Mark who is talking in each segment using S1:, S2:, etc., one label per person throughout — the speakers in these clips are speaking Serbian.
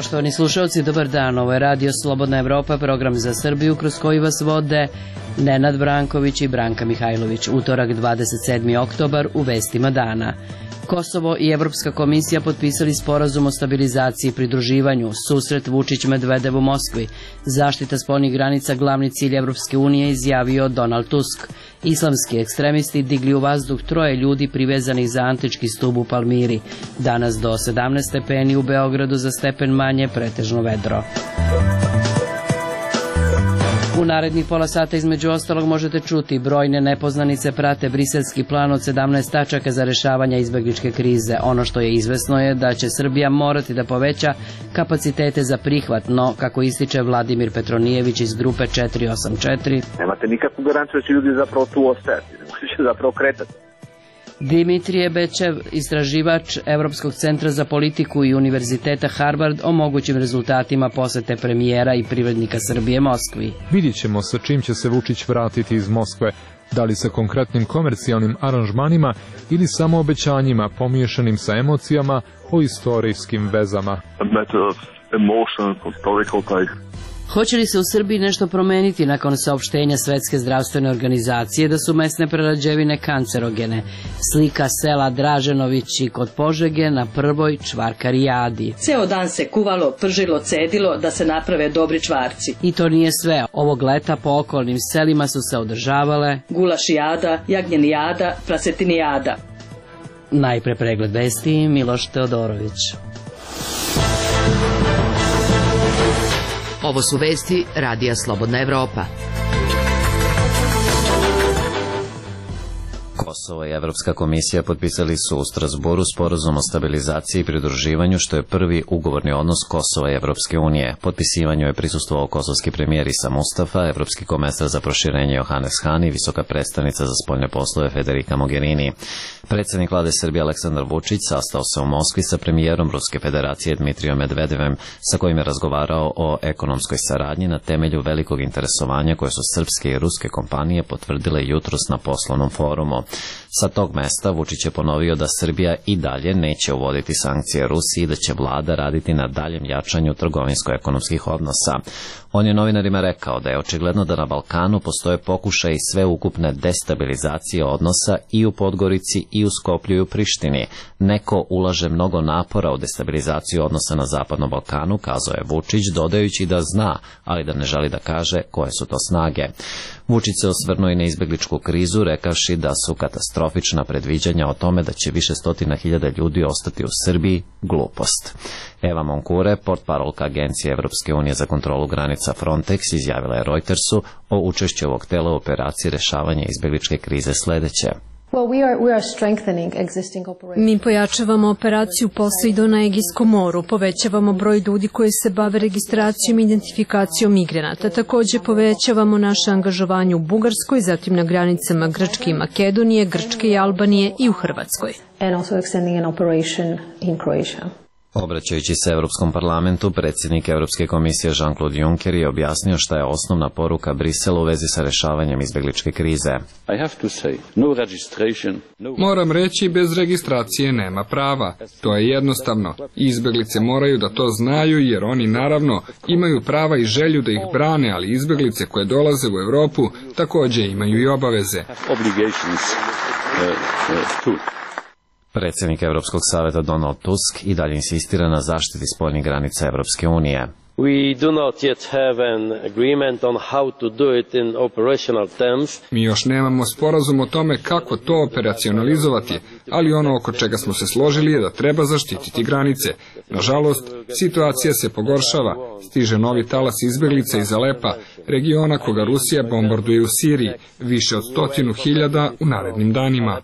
S1: Poštovani slušalci, dobar dan. Ovo je Radio Slobodna Evropa, program za Srbiju kroz koji vas vode Nenad Branković i Branka Mihajlović. Utorak 27. oktobar u vestima dana. Kosovo i Evropska komisija potpisali sporazum o stabilizaciji i pridruživanju, susret Vučić-Medvedev u Moskvi, zaštita spoljnih granica glavni cilj Evropske unije, izjavio Donald Tusk. Islamski ekstremisti digli u vazduh 3 ljudi privezanih za antički stub u Palmiri. Danas do 17 stepeni, u Beogradu za stepen manje, pretežno vedro. U narednih pola sata između ostalog možete čuti: brojne nepoznanice prate briselski plan od 17 tačaka za rešavanje izbegličke krize. Ono što je izvesno je da će Srbija morati da poveća kapacitete za prihvat, no, kako ističe Vladimir Petronijević iz grupe 484,
S2: nemate nikakvu garanciju da će ljudi zapravo tu ostajati, da će zapravo kretati.
S1: Dimitrije Bečev, istraživač Evropskog centra za politiku i Univerziteta Harvard, o mogućim rezultatima posete premijera i privrednika Srbije Moskvi.
S3: Vidjet ćemo sa čim će se Vučić vratiti iz Moskve, da li sa konkretnim komercijalnim aranžmanima ili samo obećanjima pomiješanim sa emocijama o istorijskim vezama.
S1: Hoće li se u Srbiji nešto promeniti nakon saopštenja Svetske zdravstvene organizacije da su mesne prerađevine kancerogene? Slika sela Draženovići kod Požege na prvoj čvarkarijadi.
S4: Ceo dan se kuvalo, pržilo, cedilo da se naprave dobri čvarci.
S1: I to nije sve. Ovog leta po okolnim selima su se održavale
S4: gulašijada, jagnjenijada, prasetinijada.
S1: Najpre pregled vesti, Miloš Teodorović.
S5: Ovo su vesti Radija Slobodna Evropa.
S6: Kosovo i Evropska komisija potpisali su u Strasburu sporazum o stabilizaciji i pridruživanju, što je prvi ugovorni odnos Kosova i Evropske unije. Potpisivanju je prisustvovao kosovski premijer Isa Mustafa, evropski komesar za proširenje Johannes Hahn i visoka predstavnica za spoljne poslove Federica Mogherini. Predsjednik vlade Srbije Aleksandar Vučić sastao se u Moskvi sa premijerom Ruske federacije Dmitrijom Medvedevem, sa kojim je razgovarao o ekonomskoj saradnji na temelju velikog interesovanja koje su srpske i ruske kompanije potvrdile jutros na poslovnom forumu. Sa tog mesta Vučić je ponovio da Srbija i dalje neće uvoditi sankcije Rusiji i da će vlada raditi na daljem jačanju trgovinsko-ekonomskih odnosa. On je novinarima rekao da je očigledno da na Balkanu postoje pokušaj sveukupne destabilizacije odnosa i u Podgorici i u Skoplju i u Prištini. Neko ulaže mnogo napora u destabilizaciju odnosa na Zapadnom Balkanu, kazao je Vučić, dodajući da zna, ali da ne želi da kaže koje su to snage. Vučić se osvrnuo i na izbegličku krizu, rekavši da su katastrofična predviđanja o tome da će više stotina hiljada ljudi ostati u Srbiji glupost. Eva Moncure, portparolka Agencije Evropske unije za kontrolu granica Frontex, izjavila je Reutersu o učešću ovog tela u operaciji rešavanja izbegličke krize sledeće.
S7: Mi pojačavamo operaciju Poseidon na Egejskom moru, povećavamo broj ljudi koji se bave registracijom i identifikacijom migranata. Takođe povećavamo naše angažovanje u Bugarskoj, zatim na granicama Grčke i Makedonije, Grčke i Albanije i u Hrvatskoj.
S6: Obraćajući se Evropskom parlamentu, predsjednik Evropske komisije Jean-Claude Juncker je objasnio šta je osnovna poruka Brisela u vezi sa rešavanjem izbegličke krize.
S8: Moram reći, bez registracije nema prava. To je jednostavno. Izbeglice moraju da to znaju, jer oni naravno imaju prava i želju da ih brane, ali izbeglice koje dolaze u Evropu takođe imaju i obaveze.
S6: Predsjednik Evropskog saveta Donald Tusk i dalje insistira na zaštiti spoljnih granica Evropske unije.
S8: Mi još nemamo sporazum o tome kako to operacionalizovati, ali ono oko čega smo se složili je da treba zaštititi granice. Nažalost, situacija se pogoršava. Stiže novi talas izbeglica iz Alepa, regiona koga Rusija bombarduje u Siriji, više od 100.000 u narednim danima.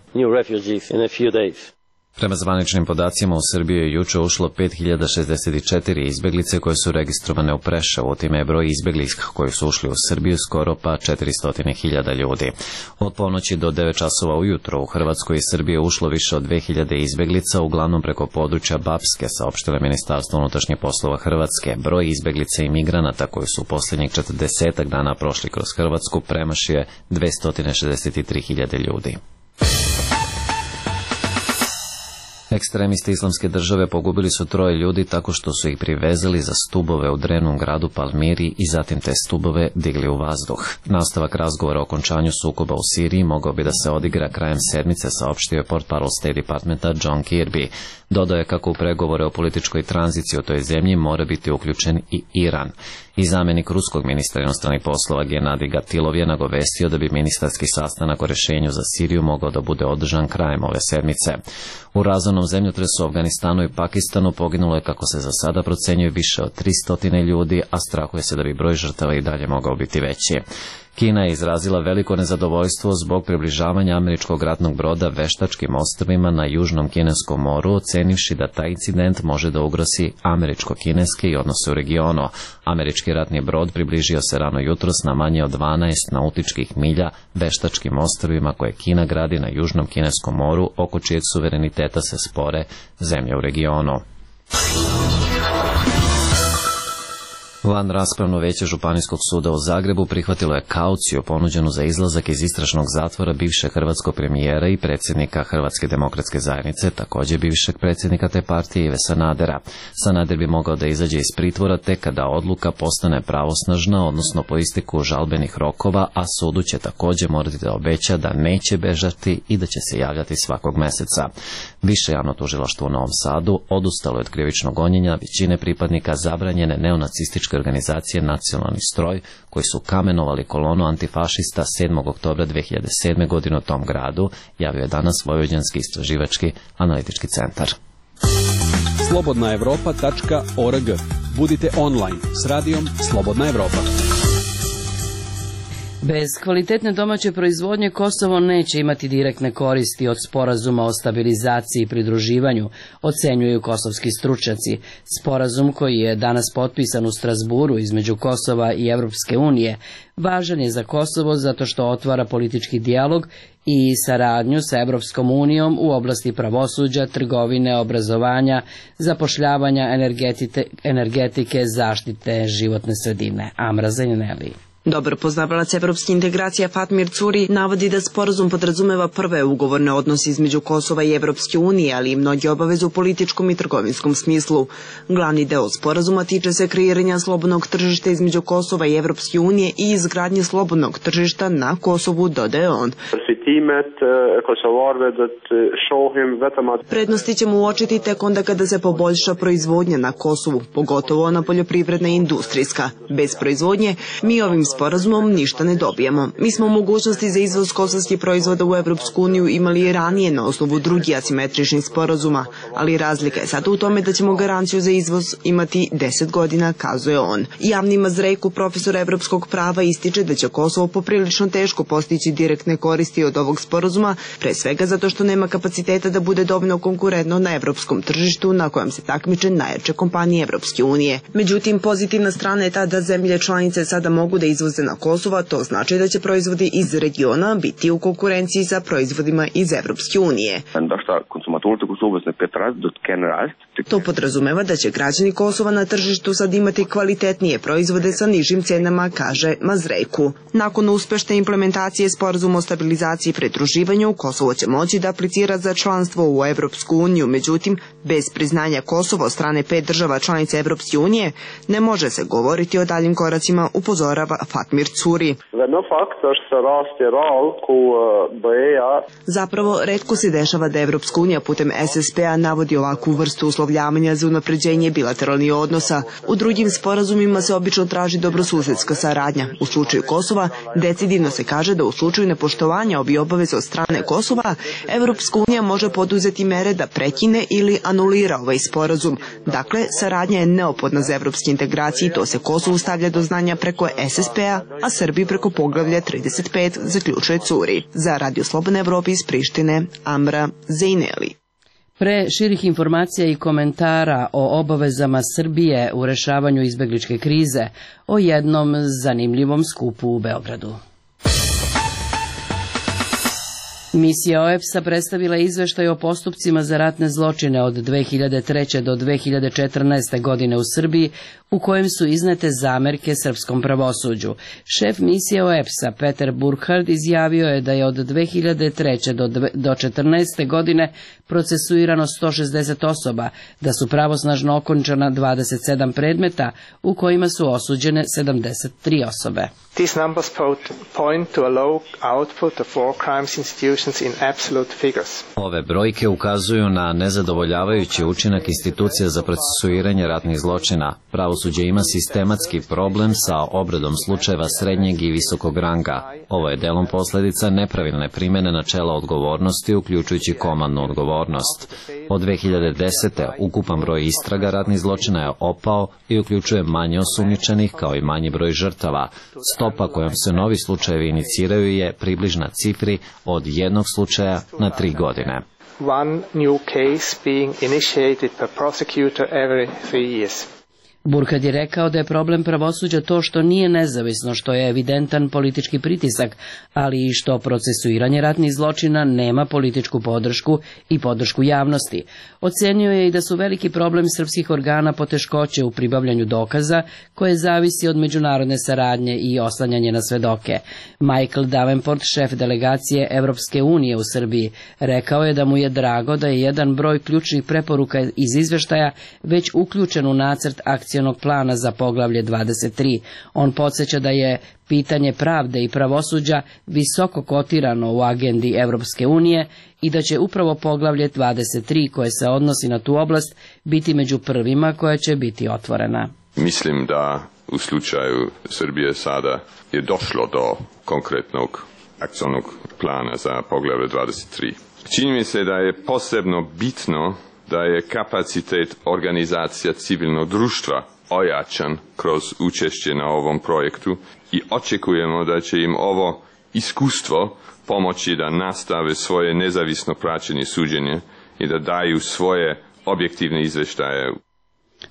S6: Prema zvaničnim podacima u Srbiju je juče ušlo 5064 izbeglice koje su registrovane u Preševu, time je broj izbeglih koji su ušli u Srbiju skoro pa 400.000 ljudi. Od ponoći do 9 časova ujutro u Hrvatskoj i Srbije ušlo više od 2000 izbeglica, uglavnom preko područja Bapske, saopštilo Ministarstvo unutrašnjih poslova Hrvatske. Broj izbeglica i migranata koji su u posljednjih 40 dana prošli kroz Hrvatsku premašio je 263.000 ljudi. Ekstremisti Islamske države pogubili su 3 ljudi tako što su ih privezali za stubove u drevnom gradu Palmiri i zatim te stubove digli u vazduh. Nastavak razgovora o okončanju sukoba u Siriji mogao bi da se odigra krajem sedmice, saopštio je portparol State Departmenta John Kirby. Dodao je kako u pregovore o političkoj tranziciji u toj zemlji mora biti uključen i Iran. I zamjenik ruskog ministra inostranih poslova Gennadij Gatilov je nagovestio da bi ministarski sastanak o rešenju za Siriju mogao da bude održan krajem ove sedmice. U razornom zemljotresu u Afganistanu i Pakistanu poginulo je, kako se za sada procenjuje, više od 300 ljudi, a strahuje se da bi broj žrtava i dalje mogao biti veći. Kina je izrazila veliko nezadovoljstvo zbog približavanja američkog ratnog broda veštačkim ostrvima na Južnom Kineskom moru, ocenivši da taj incident može da ugrozi američko-kineske i odnose u regionu. Američki ratni brod približio se rano jutros na manje od 12 nautičkih milja veštačkim ostrvima koje Kina gradi na Južnom Kineskom moru, oko čijeg suvereniteta se spore zemlje u regionu. Van raspravno veće Županijskog suda u Zagrebu prihvatilo je kauciju ponuđenu za izlazak iz istražnog zatvora bivšeg hrvatskog premijera i predsjednika Hrvatske demokratske zajednice, također bivšeg predsjednika te partije Ive Sanadera. Sanader bi mogao da izađe iz pritvora tek kada odluka postane pravosnažna, odnosno po isteku žalbenih rokova, a sudu će također morati da obeća da neće bežati i da će se javljati svakog meseca. Više javno tužilaštvo u Novom Sadu odustalo je od krivičnog gonjenja većine pripadnika zabranjene neonacističke organizacije Nacionalni stroj, koji su kamenovali kolonu antifašista 7. oktobra 2007. godine u tom gradu, javio je danas Vojvođanski istraživački analitički centar.
S9: slobodnaevropa.org. Budite online s radijom Slobodna Evropa.
S1: Bez kvalitetne domaće proizvodnje Kosovo neće imati direktne koristi od sporazuma o stabilizaciji i pridruživanju, ocenjuju kosovski stručnjaci. Sporazum koji je danas potpisan u Strasburu između Kosova i Evropske unije važan je za Kosovo zato što otvara politički dijalog i saradnju sa Evropskom unijom u oblasti pravosuđa, trgovine, obrazovanja, zapošljavanja, energetike, zaštite životne sredine. Amra Zaineli.
S10: Dobar poznavalac evropske integracije Fatmir Curi navodi da sporazum podrazumeva prve ugovorne odnose između Kosova i Evropske unije, ali i mnoge obaveze u političkom i trgovinskom smislu. Glavni deo sporazuma tiče se kreiranja slobodnog tržišta između Kosova i Evropske unije i izgradnje slobodnog tržišta na Kosovu, dodaje on. Prednosti ćemo uočiti tek onda kada se poboljša proizvodnja na Kosovu, pogotovo ona poljoprivredna i industrijska. Bez proizvodnje mi ovim sporazumom ništa ne dobijamo. Mi smo mogućnosti za izvoz kosovskih proizvoda u Evropsku uniju imali i ranije na osnovu drugih asimetričnih sporazuma, ali razlika je sada u tome da ćemo garanciju za izvoz imati 10 godina, kazuje on. Javni Mazrejku, profesor evropskog prava, ističe da će Kosovo poprilično teško postići direktne koristi od ovog sporazuma, pre svega zato što nema kapaciteta da bude dovoljno konkurentno na evropskom tržištu na kojem se takmiče najjače kompanije Evropske unije. Međutim, pozitivna strana je ta da zemlje članice sada mogu da izvoze na Kosovo, to znači da će proizvodi iz regiona biti u konkurenciji sa proizvodima iz Evropske unije. To podrazumeva da će građani Kosova na tržištu sad imati kvalitetnije proizvode sa nižim cenama, kaže Mazrejku. Nakon uspešne implementacije sporazuma o stabilizaciji i pridruživanju, Kosovo će moći da aplicira za članstvo u Evropsku uniju, međutim, bez priznanja Kosova od strane 5 država članica Evropske unije ne može se govoriti o daljim koracima, upozorava Fatmir Curi. Zapravo, retko se dešava da Evropska unija putem SSP-a navodi ovakvu vrstu uslovljavanja za unapređenje bilateralnih odnosa. U drugim sporazumima se obično traži dobrosusedska saradnja. U slučaju Kosova decidivno se kaže da u slučaju nepoštovanja ovih obaveza od strane Kosova, Evropska unija može poduzeti mere da prekine ili anulira ovaj sporazum. Dakle, saradnja je neophodna za evropske integracije i to se Kosovu stavlja do znanja preko SSP-a, a Srbiji preko poglavlja 35, zaključuje Curi. Za Radio Slobodna Evropa iz Prištine, Amra Zaineli.
S1: Pre širih informacija i komentara o obavezama Srbije u rešavanju izbegličke krize, o jednom zanimljivom skupu u Beogradu. Misija OEBS-a predstavila izveštaj o postupcima za ratne zločine od 2003. do 2014. godine u Srbiji, u kojem su iznete zamerke srpskom pravosuđu. Šef misije OEBS-a Peter Burkhardt izjavio je da je od 2003. do 2014. godine procesuirano 160 osoba, da su pravosnažno okončana 27 predmeta, u kojima su osuđene 73 osobe.
S11: These numbers point to a low output of war crimes institutions in absolute figures.
S6: Ove brojke ukazuju na nezadovoljavajući učinak institucija za procesuiranje ratnih zločina. Pravosuđe ima sistematski problem sa obradom slučajeva srednjeg i visokog ranga. Ovo je delom posledica nepravilne primjene načela odgovornosti, uključujući komandnu odgovornost. Od 2010. ukupan broj istraga ratnih zločina je opao i uključuje manje osumnjičenih kao i manji broj žrtava. Stopa kojom se novi slučajevi iniciraju je približna cifri od jednog slučaja na 3 godine.
S11: One new case being initiated per prosecutor every 3 years.
S1: Burkhardt je rekao da je problem pravosuđa to što nije nezavisno, što je evidentan politički pritisak, ali i što procesuiranje ratnih zločina nema političku podršku i podršku javnosti. Ocenio je i da su veliki problem srpskih organa poteškoće u pribavljanju dokaza, koje zavisi od međunarodne saradnje i oslanjanje na svedoke. Michael Davenport, šef delegacije Evropske unije u Srbiji, rekao je da mu je drago da je jedan broj ključnih preporuka iz izveštaja već uključen u nacrt akcije plana za poglavlje 23. On podsjeća da je pitanje pravde i pravosuđa visoko kotirano u agendi Evropske unije i da će upravo poglavlje 23, koje se odnosi na tu oblast, biti među prvima koja će biti otvorena.
S12: Mislim da u slučaju Srbije sada je došlo do konkretnog akcionog plana za poglavlje 23. Čini mi se da je posebno bitno da je kapacitet organizacija civilnog društva ojačan kroz učešće na ovom projektu i očekujemo da će im ovo iskustvo pomoći da nastave svoje nezavisno praćenje suđenja i da daju svoje objektivne izveštaje.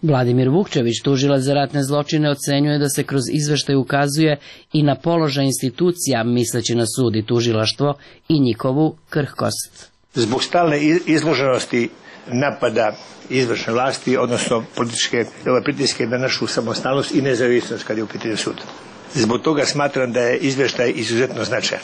S1: Vladimir Vukčević, tužilac za ratne zločine, ocenjuje da se kroz izveštaj ukazuje i na položaj institucija, misleći na sud i tužilaštvo, i njihovu krhkost.
S13: Zbog stalne izloženosti napada izvršne vlasti, odnosno političke pritiske na našu samostalnost i nezavisnost kad je u pitanju sud. Zbog toga smatram da je izveštaj izuzetno značajan.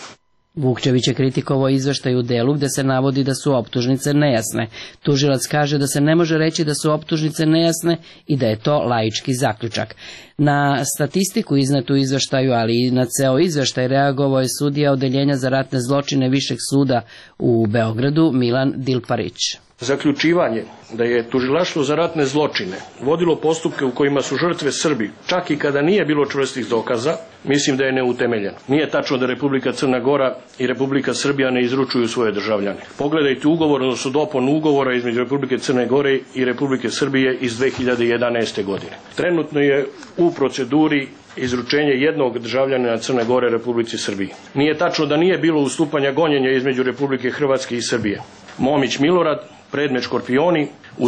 S1: Vukčević je kritikovao izveštaj u delu gde se navodi da su optužnice nejasne. Tužilac kaže da se ne može reći da su optužnice nejasne i da je to laički zaključak. Na statistiku iznetu u izveštaju, ali i na ceo izveštaj, reagovao je sudija Odeljenja za ratne zločine Višeg suda u Beogradu, Milan Dilparić.
S14: Zaključivanje da je tužilaštvo za ratne zločine vodilo postupke u kojima su žrtve Srbi, čak i kada nije bilo čvrstih dokaza, mislim da je neutemeljeno. Nije tačno da Republika Crna Gora i Republika Srbija ne izručuju svoje državljane. Pogledajte ugovor, odnosno dopun ugovora između Republike Crne Gore i Republike Srbije iz 2011. godine. Trenutno je u proceduri izručenje jednog državljanina Crne Gore Republici Srbiji. Nije tačno da nije bilo ustupanja gonjenja između Republike Hrvatske i Srbije. Momić Milorad, predmet Škorpioni, u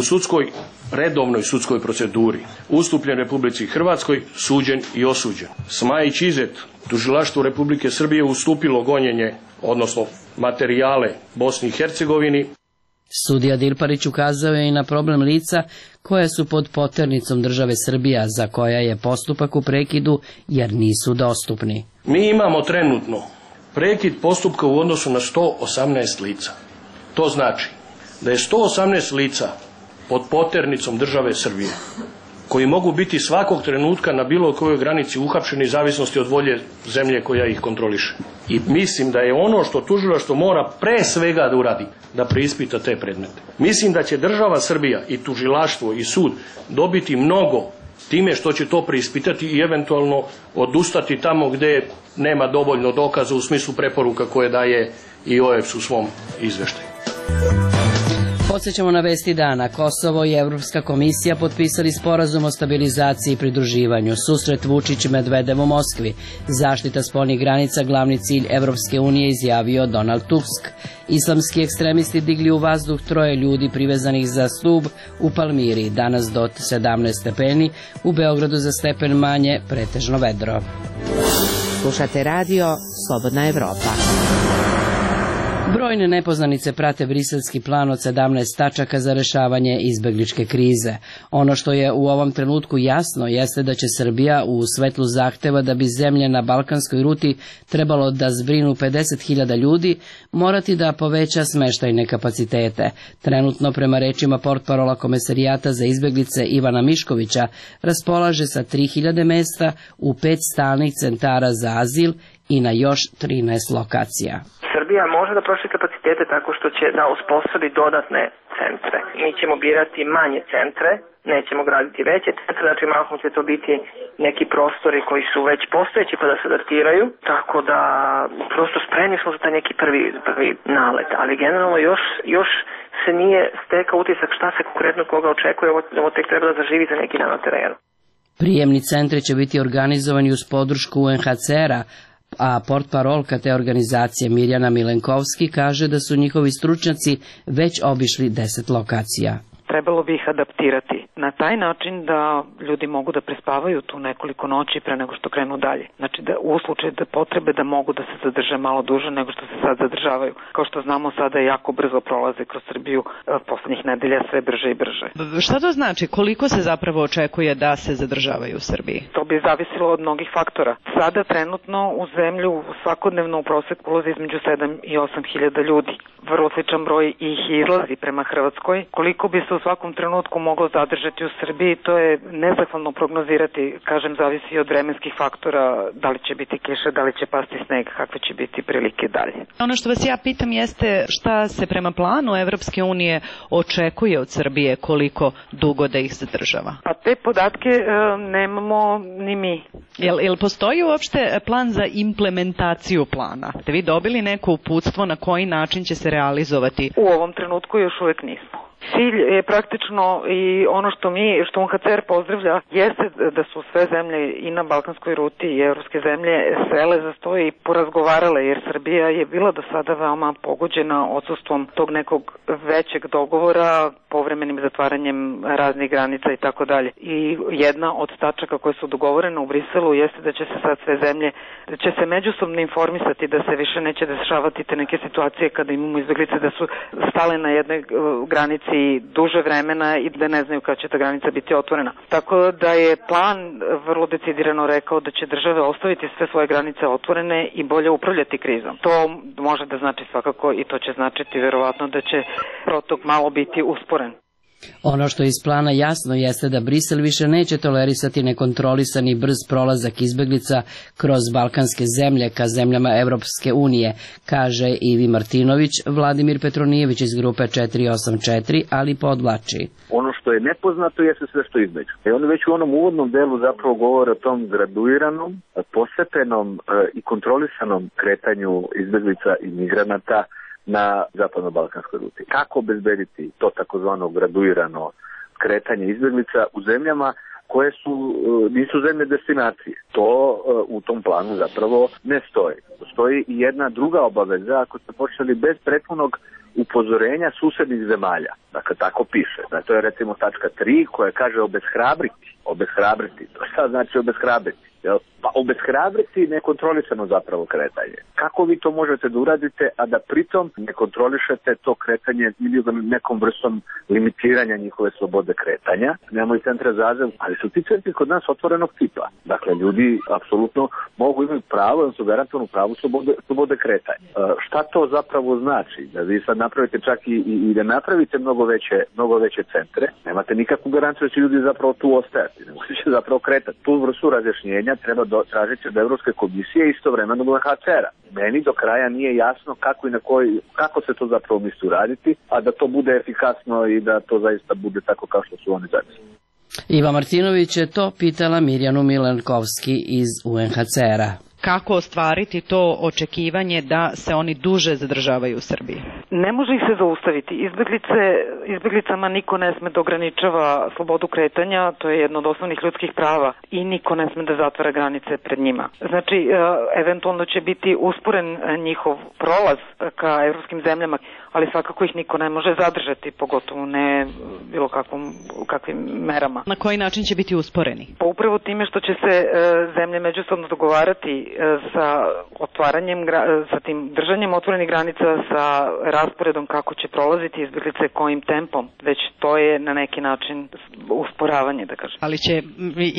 S14: redovnoj sudskoj proceduri, ustupljen Republici Hrvatskoj, suđen i osuđen. Smajić Izet, tužilaštvo Republike Srbije ustupilo gonjenje, odnosno materijale Bosni i Hercegovini.
S1: Sudija Dilparić ukazao je i na problem lica koja su pod poternicom države Srbija, za koja je postupak u prekidu jer nisu dostupni.
S14: Mi imamo trenutno prekid postupka u odnosu na 118 lica. To znači da je 118 lica pod poternicom države Srbije, koji mogu biti svakog trenutka na bilo kojoj granici uhapšeni, zavisnosti od volje zemlje koja ih kontroliše. I mislim da je ono što tužilaštvo mora pre svega da uradi, da preispita te predmete. Mislim da će država Srbija i tužilaštvo i sud dobiti mnogo time što će to preispitati i eventualno odustati tamo gde nema dovoljno dokaza u smislu preporuka koje daje i OEBS u svom izveštaju.
S1: Podsjećamo na vesti dana. Kosovo i Evropska komisija potpisali sporazum o stabilizaciji i pridruživanju. Susret Vučić-Medvedev u Moskvi. Zaštita spoljnih granica, glavni cilj Evropske unije, izjavio Donald Tusk. Islamski ekstremisti digli u vazduh 3 ljudi privezanih za stub u Palmiri. Danas do 17 stepeni, u Beogradu za stepen manje, pretežno vedro.
S5: Slušate radio Slobodna Evropa.
S1: Brojne nepoznanice prate briselski plan od 17 tačaka za rešavanje izbegličke krize. Ono što je u ovom trenutku jasno jeste da će Srbija u svetlu zahteva da bi zemlje na balkanskoj ruti trebalo da zbrinu 50.000 ljudi, morati da poveća smeštajne kapacitete. Trenutno, prema rečima portparola Komesarijata za izbeglice Ivana Miškovića, raspolaže sa 3.000 mesta u 5 stalnih centara za azil i na još 13 lokacija.
S15: Srbija može da proširi kapacitete tako što će da uspostavi dodatne centre. Mi ćemo birati manje centre, nećemo graditi veće centre, znači mahom će to biti neki prostori koji su već postojeći pa da se adaptiraju, tako da prosto spremni smo za taj neki prvi nalet, ali generalno još se nije stekao utisak šta se konkretno koga očekuje, ovo tek treba da zaživi za neki dan na terenu.
S1: Prijemni centri će biti organizovani uz podršku UNHCR-a, a portparolka te organizacije Mirjana Milenkovski kaže da su njihovi stručnjaci već obišli 10 lokacija.
S16: Trebalo bi ih adaptirati na taj način da ljudi mogu da prespavaju tu nekoliko noći pre nego što krenu dalje. Znači da u slučaju da potrebe da mogu da se zadrže malo duže nego što se sad zadržavaju. Kao što znamo sada jako brzo prolaze kroz Srbiju poslednjih nedelja sve brže i brže.
S17: Šta to znači? Koliko se zapravo očekuje da se zadržavaju u Srbiji?
S16: To bi zavisilo od mnogih faktora. Sada trenutno u zemlju svakodnevno u proseku ulazi između 7 i 8 hiljada ljudi. Vrlo sličan broj ih izlazi prema Hrvatskoj. Koliko bi se u svakom trenutku moglo zadržati u Srbiji, to je nezahvalno prognozirati, kažem, zavisi od vremenskih faktora, da li će biti kiša, da li će pasti sneg, kakve će biti prilike dalje.
S17: Ono što vas ja pitam jeste šta se prema planu Evropske unije očekuje od Srbije, koliko dugo da ih zadržava?
S16: Pa te podatke nemamo ni mi.
S17: Jel postoji uopšte plan za implementaciju plana? Ste vi dobili neko uputstvo na koji način će se realizovati?
S16: U ovom trenutku još uvek nismo. Cilj je praktično i ono što UNHCR pozdravlja jeste da su sve zemlje i na balkanskoj ruti i evropske zemlje sele za sto i porazgovarale, jer Srbija je bila do sada veoma pogođena odsustvom tog nekog većeg dogovora, povremenim zatvaranjem raznih granica i tako dalje. I jedna od tačaka koje su dogovorene u Briselu jeste da će se sad sve zemlje, da će se međusobno informisati da se više neće dešavati te neke situacije kada imamo izbeglice da su stale na jednoj granici duže vremena i da ne znaju kada će ta granica biti otvorena. Tako da je plan vrlo decidirano rekao da će države ostaviti sve svoje granice otvorene i bolje upravljati krizom. To može da znači svakako i to će značiti verovatno da će protok malo biti usporen.
S1: Ono što iz plana jasno jeste da Brisel više neće tolerisati nekontrolisani brz prolazak izbeglica kroz balkanske zemlje ka zemljama Evropske unije, kaže Ivi Martinović. Vladimir Petronijević iz grupe 484, ali podvlači.
S2: Ono što je nepoznato jeste sve što između. I oni već u onom uvodnom delu zapravo govore o tom graduiranom, postepenom i kontrolisanom kretanju izbeglica i migranata na zapadno-balkanskoj ruti. Kako obezbediti to takozvano graduirano kretanje izbeglica u zemljama koje nisu zemlje destinacije? To u tom planu zapravo ne stoji. Postoji i jedna druga obaveza ako ste počeli bez prethodnog upozorenja susednih zemalja. Dakle, tako piše. Dakle, to je recimo tačka 3 koja kaže obeshrabriti. Obeshrabriti. To šta znači obeshrabriti? Pa obeshrabriti nekontrolisano zapravo kretanje. Kako vi to možete da uradite, a da pritom ne kontrolišete to kretanje ili nekom vrstom limitiranja njihove slobode kretanja? Nemamo i centre za azil, ali su ti centri kod nas otvorenog tipa. Dakle, ljudi apsolutno mogu imati pravo, odnosno garantovano pravo slobode kretanja. Šta to zapravo znači? Da vi sad napravite čak i da napravite mnogo veće centre, nemate nikakvu garanciju da će ljudi zapravo tu ostajati, nego će zapravo kretati. Tu vrstu razjašnjenja treba tražiti od Evropske komisije istovremeno od UNHCR-a. Meni do kraja nije jasno kako se to zapravo misli uraditi, a da to bude efikasno i da to zaista bude tako kao što su oni zamislili.
S1: Iva Martinović je to pitala Mirjanu Milenkovski iz UNHCR-a.
S17: Kako ostvariti to očekivanje da se oni duže zadržavaju u Srbiji?
S16: Ne može ih se zaustaviti. Izbeglicama niko ne sme da ograničava slobodu kretanja, to je jedno od osnovnih ljudskih prava i niko ne sme da zatvara granice pred njima. Znači, eventualno će biti usporen njihov prolaz ka evropskim zemljama, ali svakako ih niko ne može zadržati, pogotovo ne bilo kakvim merama.
S17: Na koji način će biti usporeni?
S16: Pa upravo time što će se zemlje međusobno dogovarati sa otvaranjem, sa tim držanjem otvorenih granica, sa rasporedom kako će prolaziti izbjeglice, kojim tempom, već to je na neki način usporavanje, da kažem.
S17: Ali će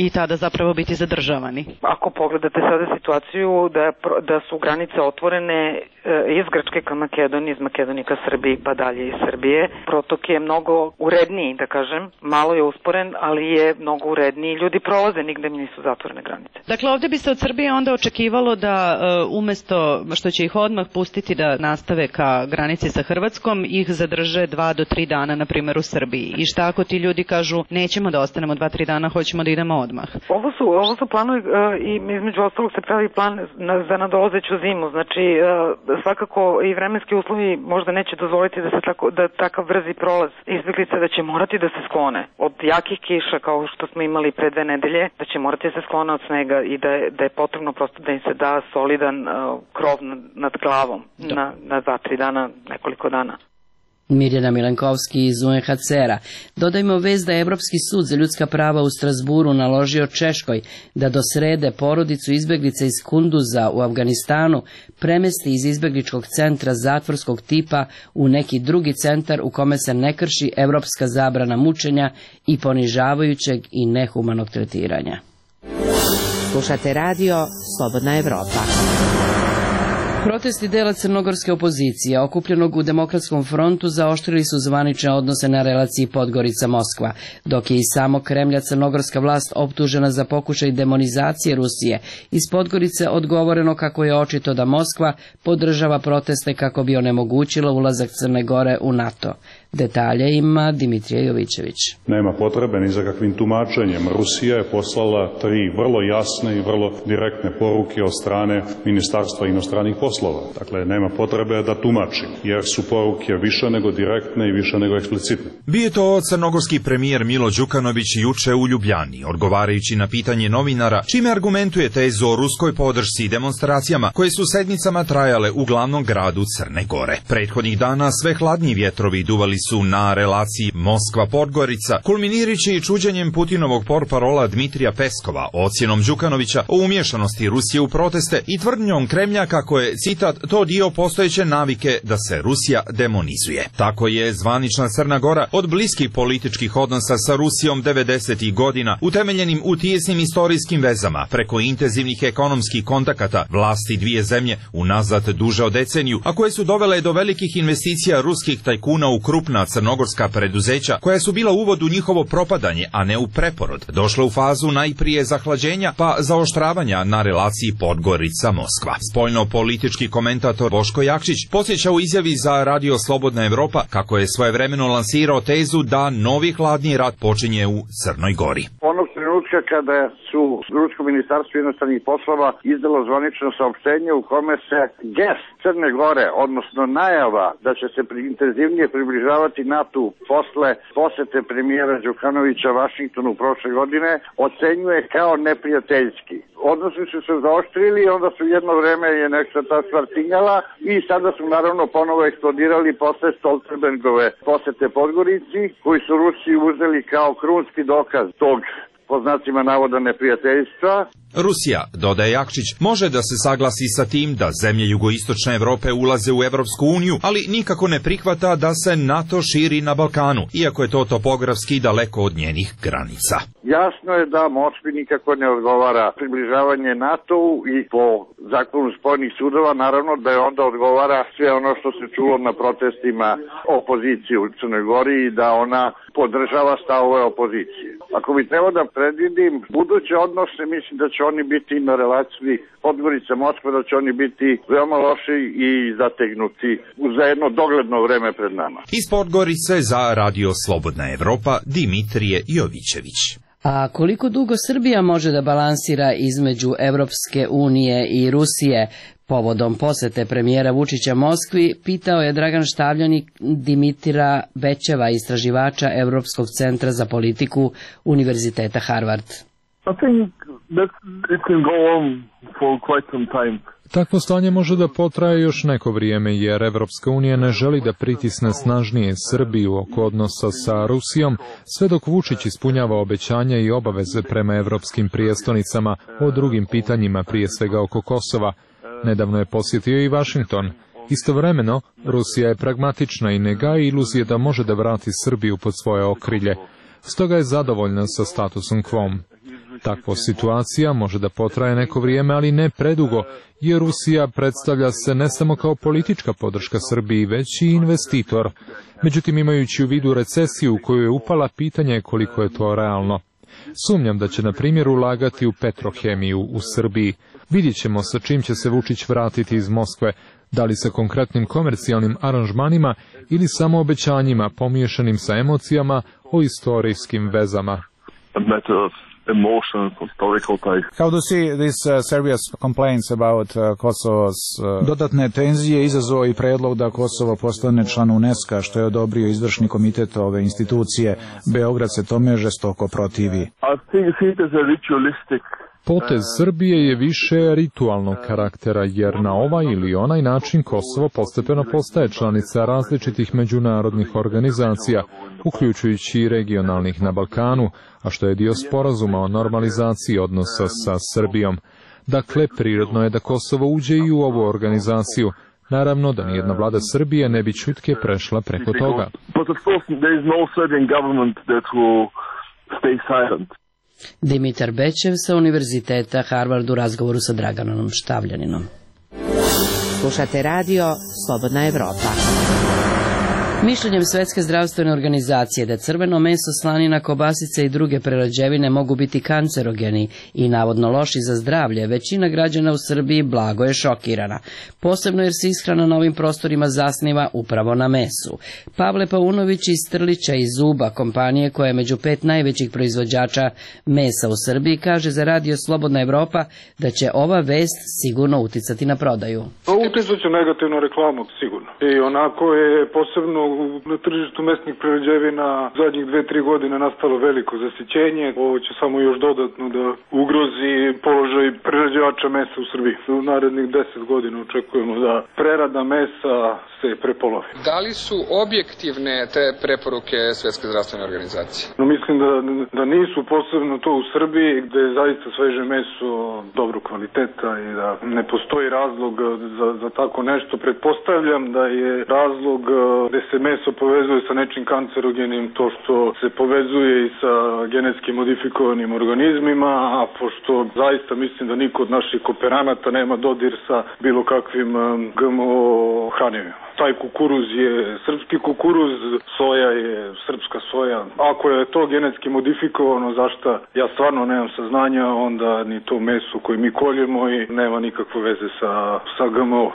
S17: i tada zapravo biti zadržavani?
S16: Ako pogledate sada situaciju da su granice otvorene iz Grčke ka Makedoniji, iz Makedonije ka Srbiji, pa dalje iz Srbije, protok je mnogo uredniji, da kažem, malo je usporen, ali je mnogo uredniji, ljudi prolaze, nigde mi nisu zatvorene granice.
S17: Dakle, ovdje bi se od Srbije onda očekivalo da umesto što će ih odmah pustiti da nastave ka granici sa Hrvatskom, ih zadrže 2 do 3 dana, na primjer, u Srbiji. I šta ako ti ljudi kažu, nećemo da ostanemo 2-3 dana, hoćemo da idemo odmah?
S16: Ovo su planovi i između ostalog se pravi plan za nadolazeću zimu, znači svakako i vremenski uslovi možda neće dozvoliti da takav brzi prolaz izbjeglica, da će morati da se sklone od jakih kiša kao što smo imali pre 2 nedelje, da će morati da se sklone od snega i da je potrebno prosto da im se da solidan krov nad glavom na 2-3 dana, nekoliko dana.
S1: Mirjana Milenkovski iz UNHCR-a. Dodajmo vez da je Evropski sud za ljudska prava u Strasburu naložio Češkoj da do srede porodicu izbjeglica iz Kunduza u Afganistanu premesti iz izbjegličkog centra zatvorskog tipa u neki drugi centar u kome se ne krši evropska zabrana mučenja i ponižavajućeg i nehumanog tretiranja.
S5: Slušate radio Slobodna Evropa.
S1: Protesti dela crnogorske opozicije okupljenog u Demokratskom frontu zaoštrili su zvanične odnose na relaciji Podgorica-Moskva, dok je i samo Kremlja crnogorska vlast optužena za pokušaj demonizacije Rusije. Iz Podgorice odgovoreno kako je očito da Moskva podržava proteste kako bi onemogućila ulazak Crne Gore u NATO. Detalje ima Dimitrije Jovićević.
S18: Nema potrebe ni za kakvim tumačenjem. Rusija je poslala 3 vrlo jasne i vrlo direktne poruke od strane Ministarstva inostranih poslova. Dakle, nema potrebe da tumačim, jer su poruke više nego direktne i više nego eksplicitne.
S19: Bio je to crnogorski premijer Milo Đukanović juče u Ljubljani, odgovarajući na pitanje novinara, čime argumentuje tezu o ruskoj podršci i demonstracijama koje su sedmicama trajale u glavnom gradu Crne Gore. Prethodnih dana sve hladniji vjetrovi duvali su na relaciji Moskva-Podgorica, kulminirajući čuđenjem Putinovog portparola Dmitrija Peskova, ocjenom Đukanovića o umješanosti Rusije u proteste i tvrdnjom Kremlja kako je, citat, to dio postojeće navike da se Rusija demonizuje. Tako je zvanična Crna Gora od bliskih političkih odnosa sa Rusijom 90. godina, utemeljenim u tijesnim istorijskim vezama, preko intenzivnih ekonomskih kontakata vlasti dvije zemlje unazad duže od deceniju, a koje su dovele do velikih investicija ruskih tajkuna u krupna crnogorska preduzeća, koja su bila uvod u njihovo propadanje, a ne u preporod, došla u fazu najprije zahlađenja, pa zaoštravanja na relaciji Podgorica-Moskva. Spoljno-politički komentator Boško Jakšić podsjeća u izjavi za Radio Slobodna Evropa kako je svojevremeno lansirao tezu da novi hladni rat počinje u Crnoj Gori.
S20: Onog trenutka kada su Rusko ministarstvo inostranih poslova izdalo zvanično saopštenje u kome se gest Crne Gore, odnosno najava da će se intenzivnije približavati NATO posle posete premijera Đukanovića Vašingtonu prošle godine, ocenjuje kao neprijateljski. Odnosi su se zaoštrili i onda su jedno vreme je nekša ta stvar tinjala i sada su naravno ponovo eksplodirali posle Stoltenbergove posete Podgorici, koji su Rusiji uzeli kao krunski dokaz tog, po znacima navoda, neprijateljstva.
S19: Rusija, dodaje Jakšić, može da se saglasi sa tim da zemlje jugoistočne Evrope ulaze u Evropsku uniju, ali nikako ne prihvata da se NATO širi na Balkanu, iako je to topografski daleko od njenih granica.
S20: Jasno je da Moskvi nikako ne odgovara približavanje NATO-u i po zakonu spojenih sudova naravno da je onda odgovara sve ono što se čulo na protestima opozicije u Crnoj Gori i da ona podržava stavove opozicije. Ako bi trebao da predvidim buduće odnose, mislim da će oni biti na relaciji Podgorica-Moskva, da će oni biti veoma loši i zategnuti za jedno dogledno vreme pred nama.
S19: Iz Podgorice za Radio Slobodna Evropa, Dimitrije Jovićević.
S1: A koliko dugo Srbija može da balansira između Evropske unije i Rusije? Povodom posete premijera Vučića Moskvi, pitao je Dragan Štavljanik Dimitra Bećeva, istraživača Evropskog centra za politiku Univerziteta Harvard.
S3: Takvo stanje može da potraje još neko vrijeme, jer Evropska unija ne želi da pritisne snažnije Srbiju oko odnosa sa Rusijom, sve dok Vučić ispunjava obećanja i obaveze prema evropskim prijestonicama o drugim pitanjima, prije svega oko Kosova. Nedavno je posjetio i Vašington. Istovremeno, Rusija je pragmatična i ne gaji iluzije da može da vrati Srbiju pod svoje okrilje. Stoga je zadovoljna sa statusom quo. Takva situacija može da potraje neko vrijeme, ali ne predugo, jer Rusija predstavlja se ne samo kao politička podrška Srbiji, već i investitor. Međutim, imajući u vidu recesiju u koju je upala, pitanje je koliko je to realno. Sumnjam da će, na primjer, ulagati u Petrohemiju u Srbiji. Vidjet ćemo sa čim će se Vučić vratiti iz Moskve, da li sa konkretnim komercijalnim aranžmanima ili samo obećanjima pomiješanim sa emocijama o istorijskim vezama.
S21: How do you see this Serbia's complaints about Kosovo's dodatne tenzije izazvao i predlog da Kosovo postane član UNESCO, što je odobrio izvršni komitet ove institucije. Beograd se tome žestoko protivi.
S3: Potez Srbije je više ritualnog karaktera, jer na ovaj ili onaj način Kosovo postepeno postaje članica različitih međunarodnih organizacija, uključujući i regionalnih na Balkanu, a što je dio sporazuma o normalizaciji odnosa sa Srbijom. Dakle, prirodno je da Kosovo uđe i u ovu organizaciju. Naravno da nijedna vlada Srbije ne bi čutke prešla preko toga.
S1: Dimitar Bećev sa Univerziteta Harvard u razgovoru sa Draganom Štavljaninom.
S5: Slušate radio Slobodna Evropa.
S1: Mišljenjem Svetske zdravstvene organizacije da crveno meso, slanina, kobasice i druge prerađevine mogu biti kancerogeni i navodno loši za zdravlje, većina građana u Srbiji blago je šokirana, posebno jer se ishrana na ovim prostorima zasniva upravo na mesu. Pavle Paunović iz Trlića i Zuba, kompanije koja je među 5 najvećih proizvođača mesa u Srbiji, kaže za radio Slobodna Evropa da će ova vest sigurno uticati na prodaju.
S22: Uticat će negativnu reklamu, sigurno. I onako je posebno na tržištu mesnih prerađevina zadnjih 2-3 godine nastalo veliko zasićenje. Ovo će samo još dodatno da ugrozi položaj prerađivača mesa u Srbiji. U narednih 10 godina očekujemo da prerada mesa se prepolovi.
S8: Da li su objektivne te preporuke Svetske zdravstvene organizacije?
S22: No, mislim da nisu, posebno to u Srbiji, gde je zaista sveže meso dobro kvaliteta i da ne postoji razlog za tako nešto. Pretpostavljam da je razlog gde se meso povezuje sa nečim kancerogenim, to što se povezuje i sa genetski modifikovanim organizmima, a pošto zaista mislim da niko od naših kooperanata nema dodir sa bilo kakvim GMO hranjevima. Taj kukuruz je srpski kukuruz, soja je srpska soja. Ako je to genetski modifikovano, zašto ja stvarno nemam saznanja, onda ni to meso koje mi koljemo i nema nikakve veze sa GMO.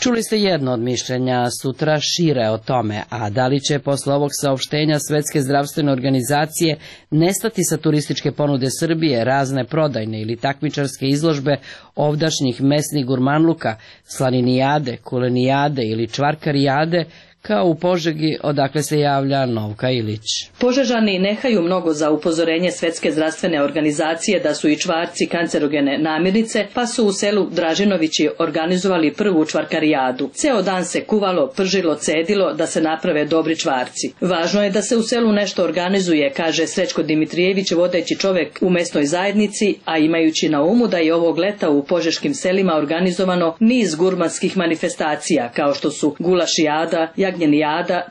S1: Čuli ste jedno od mišljenja, sutra šire o tome, a da li će posle ovog saopštenja Svetske zdravstvene organizacije nestati sa turističke ponude Srbije razne prodajne ili takmičarske izložbe ovdašnjih mesnih gurmanluka, slaninijade, kulenijade ili čvarkarijade, kao u Požegi, odakle se javlja Novka Ilić.
S4: Požežani ne haju mnogo za upozorenje Svetske zdravstvene organizacije da su i čvarci kancerogene namirnice, pa su u selu Dražinovići organizovali prvu čvarkarijadu. Ceo dan se kuvalo, pržilo, cedilo da se naprave dobri čvarci. Važno je da se u selu nešto organizuje, kaže Srećko Dimitrijević, vodeći čovek u mesnoj zajednici, a imajući na umu da je ovog leta u požeškim selima organizovano niz gurmanskih manifestacija, kao što su gulašijada, jagnjenijada,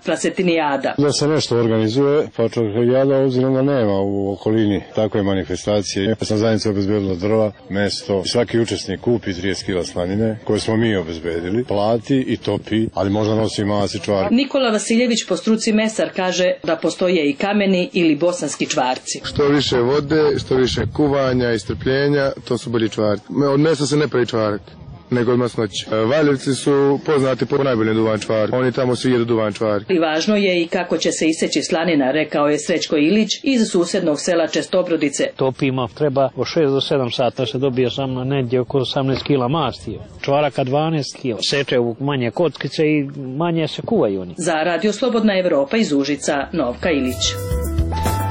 S4: prasetinijada.
S23: Da se nešto organizuje, pa čvarkarijada obzirom da nema u okolini takve manifestacije. Ja sam zajednica obezbedila drva, mesto, svaki učesnik kupi 30 kila slanine, koje smo mi obezbedili, plati i topi, ali možda nosi masi čvarci.
S4: Nikola Vasiljević, po struci mesar, kaže da postoje i kameni ili bosanski čvarci.
S23: Što više vode, što više kuvanja i strpljenja, to su bolji čvarci. Od mesa se ne pravi čvarak.
S7: nego od masnoće. Valjevci su poznati po najboljem duvančvari. Oni tamo svi jedu duvančvari.
S4: I važno je i kako će se iseći slanina, rekao je Srećko Ilić iz susednog sela Čestobrodice.
S9: Topima treba od 6 do 7 sata se dobije samo negdje oko 18 kila masti. Čvaraka 12 kila. Seče u manje kockice i manje se kuvaju oni.
S4: Za Radio Slobodna Evropa iz Užica, Novka Ilić.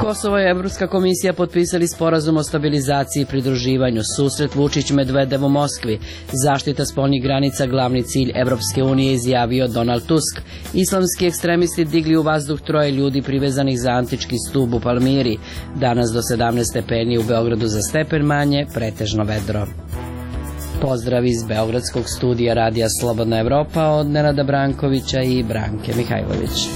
S1: Kosovo i Evropska komisija potpisali sporazum o stabilizaciji i pridruživanju. Susret Vučić-Medvedev u Moskvi. Zaštita spoljnih granica glavni cilj Evropske unije, izjavio Donald Tusk. Islamski ekstremisti digli u vazduh 3 ljudi privezanih za antički stub u Palmiri. Danas do 17 stepeni, u Beogradu za stepen manje, pretežno vedro. Pozdrav iz Beogradskog studija Radija Slobodna Evropa od Nenada Brankovića i Branke Mihajlović.